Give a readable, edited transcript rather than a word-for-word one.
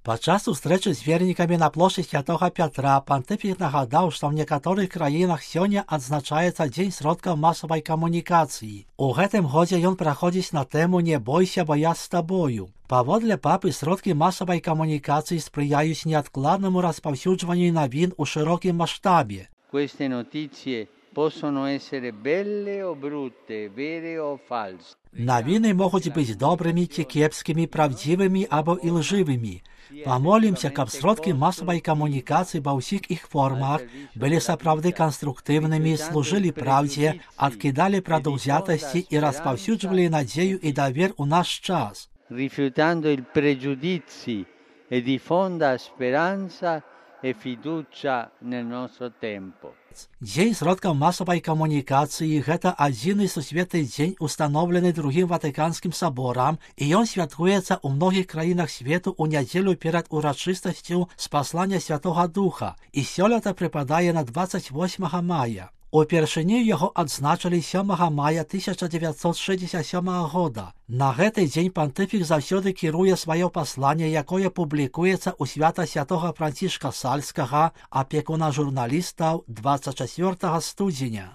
Падчас сустрэчы з вернікамі на плошчы Святога Пятра пантыфік нагадаў, што ў некаторых краінах сёння адзначаецца дзень сродкаў масавай камунікацыі. У гэтым годзе ён праходзіць на тэму «Не бойся, бо я з табою». Паводле папы, сродкі масавай камунікацыі спрыяюць неадкладнаму распаўсюджванню навін у шырокім маштабе. Queste notizie possono essere belle o brutte, vere o false. Навіны могуць быць добрымі ці кепскімі, правдзівымі або ілжывымі. Памолімся, каб сродкі масавай камунікацыі ва ўсіх іх формах былі сапраўды канструктыўнымі, служылі праўдзе, адкідалі прадаўзятасці і распаўсюджвалі надзею і давер у наш час. Rifiutando il pregiudizi e diffonda speranza e fiducia nel nostro tempo. Дзень сродкаў масавай камунікацыі – гэта адзіны сусветны дзень, устаноўлены Другім Ватыканскім саборам, і ён святкуецца ў многіх краінах свету ў нядзелю перад урачыстасцю спаслання Святога Духа, і сёлета прыпадае на 28 мая. Упершыню яго адзначылі 7 мая 1967 года. На гэты дзень пантыфік заўсёды кіруе сваё пасланне, якое публікуецца ў свята святога Францішка Сальскага, апекуна журналістаў 24 студзеня.